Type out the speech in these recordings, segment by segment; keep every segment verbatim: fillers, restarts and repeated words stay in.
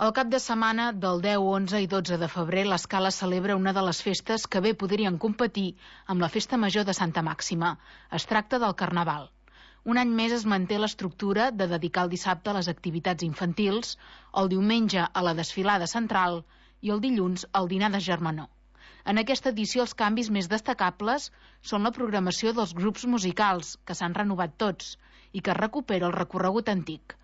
El cap de setmana del deu, onze i dotze de febrer l'Escala celebra una de les festes que bé podrien competir amb la Festa Major de Santa Màxima. Es tracta del Carnaval. Un any més es manté l'estructura de dedicar el dissabte a les activitats infantils, el diumenge a la desfilada central i el dilluns al dinar de germanor. En aquesta edició els canvis més destacables són la programació dels grups musicals, que s'han renovat tots, i que recupera el recorregut antic.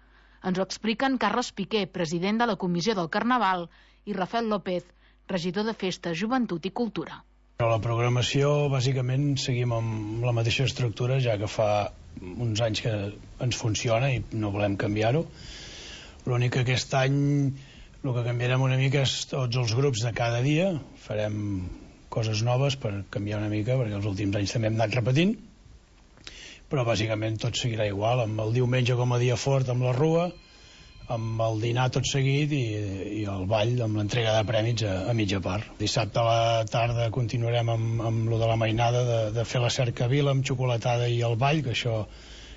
Ens ho expliquen Carles Piqué, president de la Comissió del Carnaval, i Rafael López, regidor de Festes, Joventut i Cultura. La programació, bàsicament, seguim amb la mateixa estructura, ja que fa uns anys que ens funciona i no volem canviar-ho. L'únic que aquest any el que canviarem una mica és tots els grups de cada dia. Farem coses noves per canviar una mica, perquè els últims anys també hem anat repetint, però bàsicament tot seguirà igual, amb el diumenge com a dia fort amb la rua, amb el dinar tot seguit i, i el ball amb l'entrega de prèmits a, a mitja part. Dissabte a la tarda continuarem amb, amb lo de la mainada, de, de fer la cercavila amb xocolatada i el ball, que això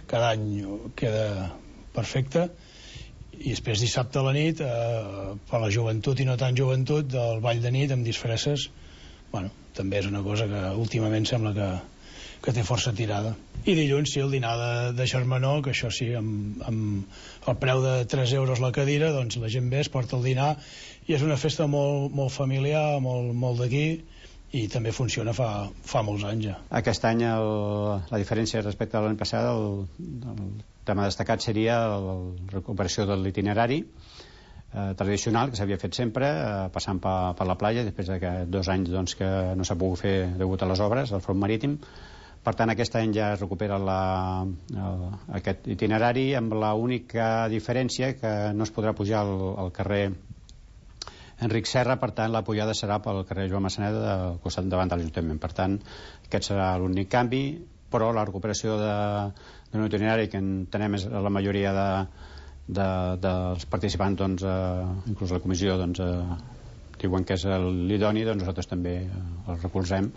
cada any queda perfecte, i després dissabte a la nit, eh, per la joventut i no tan joventut, del ball de nit amb disfresses. Bueno, també és una cosa que últimament sembla que que té força tirada. I dilluns sí, el dinar de, de germanor, que això sí, amb, amb el preu de tres euros la cadira, doncs la gent ve, es porta el dinar, i és una festa molt, molt familiar, molt, molt d'aquí, i també funciona fa, fa molts anys ja. Aquest any el, la diferència respecte a l'any passat, el, el tema destacat seria la recuperació de l'itinerari eh, tradicional, que s'havia fet sempre, eh, passant per, per la platja, després de dos anys doncs, que no s'ha pogut fer degut a les obres del front marítim. Per tant, aquest any ja es recupera la, el, aquest itinerari, amb l'única diferència que no es podrà pujar al, al carrer Enric Serra, per tant, la pujada serà pel carrer Joan Massaneda, al costat davant de l'Ajuntament. Per tant, aquest serà l'únic canvi, però la recuperació d'un itinerari que entenem és la majoria de, de, dels participants, doncs, eh, inclús la comissió, doncs, eh, diuen que és l'idoni, doncs nosaltres també eh, el recolzem,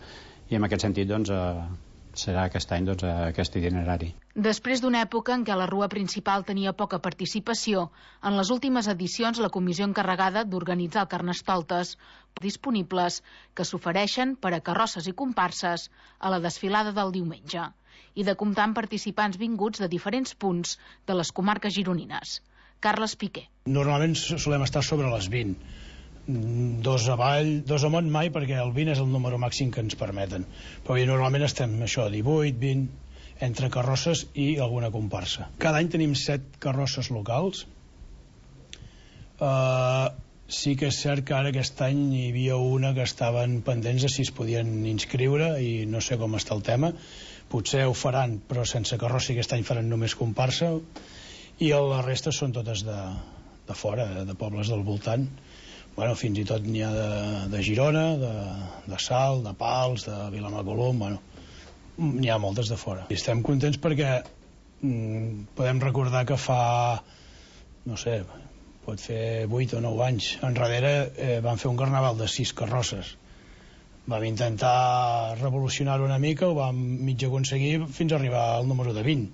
i en aquest sentit, doncs, eh, serà aquest any doncs, aquest itinerari. Després d'una època en què la rua principal tenia poca participació, en les últimes edicions la comissió encarregada d'organitzar el Carnestoltes disponibles que s'ofereixen per a carrosses i comparses a la desfilada del diumenge i de comptar amb participants vinguts de diferents punts de les comarques gironines. Carles Piqué. Normalment solem estar sobre les vint. Dos avall, dos amunt mai, perquè el vint és el número màxim que ens permeten, però normalment estem això, divuit, vint, entre carrosses i alguna comparsa. Cada any tenim set carrosses locals. Uh, sí que és cert que ara aquest any hi havia una que estaven pendents de si es podien inscriure i no sé com està el tema. Potser ho faran, però sense carrossa, i aquest any faran només comparsa, i la resta són totes de, de fora, de, de pobles del voltant. Bueno, fins i tot n'hi ha de, de Girona, de, de Salt, de Pals, de Vilamacolum, bueno, n'hi ha moltes de fora. I estem contents perquè mm, podem recordar que fa, no sé, pot fer vuit o nou anys enrere eh, van fer un carnaval de sis carrosses. Vam intentar revolucionar-ho una mica, ho vam mig aconseguir fins a arribar al número de vint.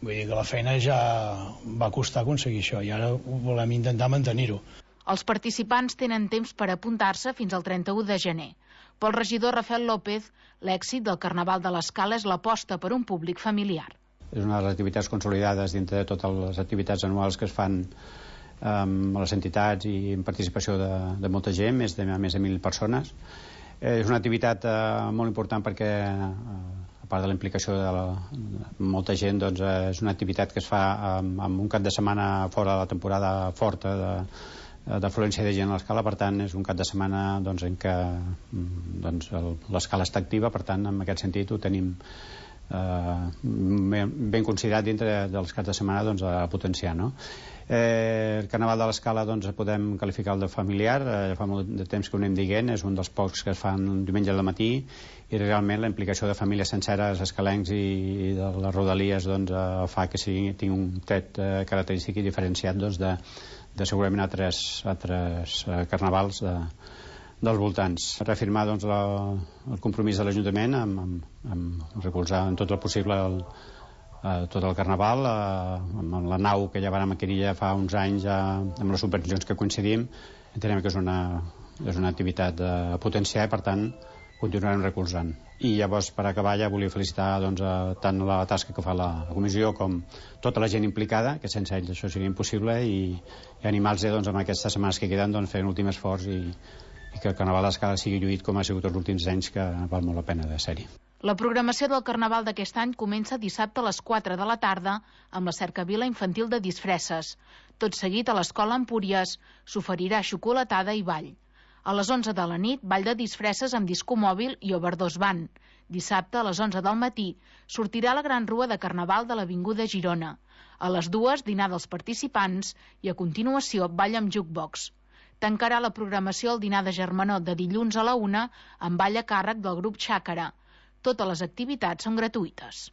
Vull dir que la feina ja va costar aconseguir això i ara volem intentar mantenir-ho. Els participants tenen temps per apuntar-se fins al trenta-u de gener. Pel regidor Rafael López, l'èxit del Carnaval de l'Escala és l'aposta per un públic familiar. És una de les activitats consolidades dintre de totes les activitats anuals que es fan amb les entitats i en participació de, de molta gent, més de, més de mil persones. És una activitat eh, molt important perquè, eh, a part de la implicació de, la, de molta gent, doncs, eh, és una activitat que es fa amb, amb un cap de setmana fora de la temporada forta de d'afluència de gent a l'Escala, per tant és un cap de setmana doncs, en què doncs, l'Escala està activa, per tant en aquest sentit ho tenim eh, ben considerat dintre dels caps de setmana doncs, a potenciar, no? Eh, el Carnaval de l'Escala doncs, podem qualificar el de familiar, eh, fa molt de temps que ho anem dient, és un dels pocs que es fan un diumenge al matí, i realment la implicació de famílies senceres, escalencs i, i de les rodalies doncs, eh, fa que sigui, tingui un tret eh, característic i diferenciat doncs, de de segurament altres, altres eh, carnavals de, dels voltants. Reafirmar doncs, la, el compromís de l'Ajuntament amb, amb, amb recolzar en tot el possible el, eh, tot el Carnaval, eh, amb la nau que ja vam adquirir ja fa uns anys, eh, amb les supervisions que coincidim, entenem que és una, és una activitat a potenciar i, per tant, continuarem recolzant. I llavors, per acabar, ja volia felicitar doncs, a, tant la tasca que fa la, la comissió com tota la gent implicada, que sense ells això seria impossible, i, i animar-los doncs, en aquestes setmanes que queden doncs, fer un últim esforç i, i que el Carnaval d'Escala sigui lluït com ha sigut els últims anys, que val molt la pena de ser-hi. La programació del Carnaval d'aquest any comença dissabte a les quatre de la tarda amb la cercavila infantil de disfresses. Tot seguit, a l'Escola Empúries s'oferirà xocolatada i ball. A les onze de la nit, ball de disfresses amb disco mòbil i overdose band. Dissabte, a les onze del matí, sortirà la gran rua de Carnaval de l'Avinguda Girona. A les dues, dinar dels participants i, a continuació, ball amb jukebox. Tancarà la programació el dinar de Germanor de dilluns a la una amb ball a càrrec del grup Xàcara. Totes les activitats són gratuïtes.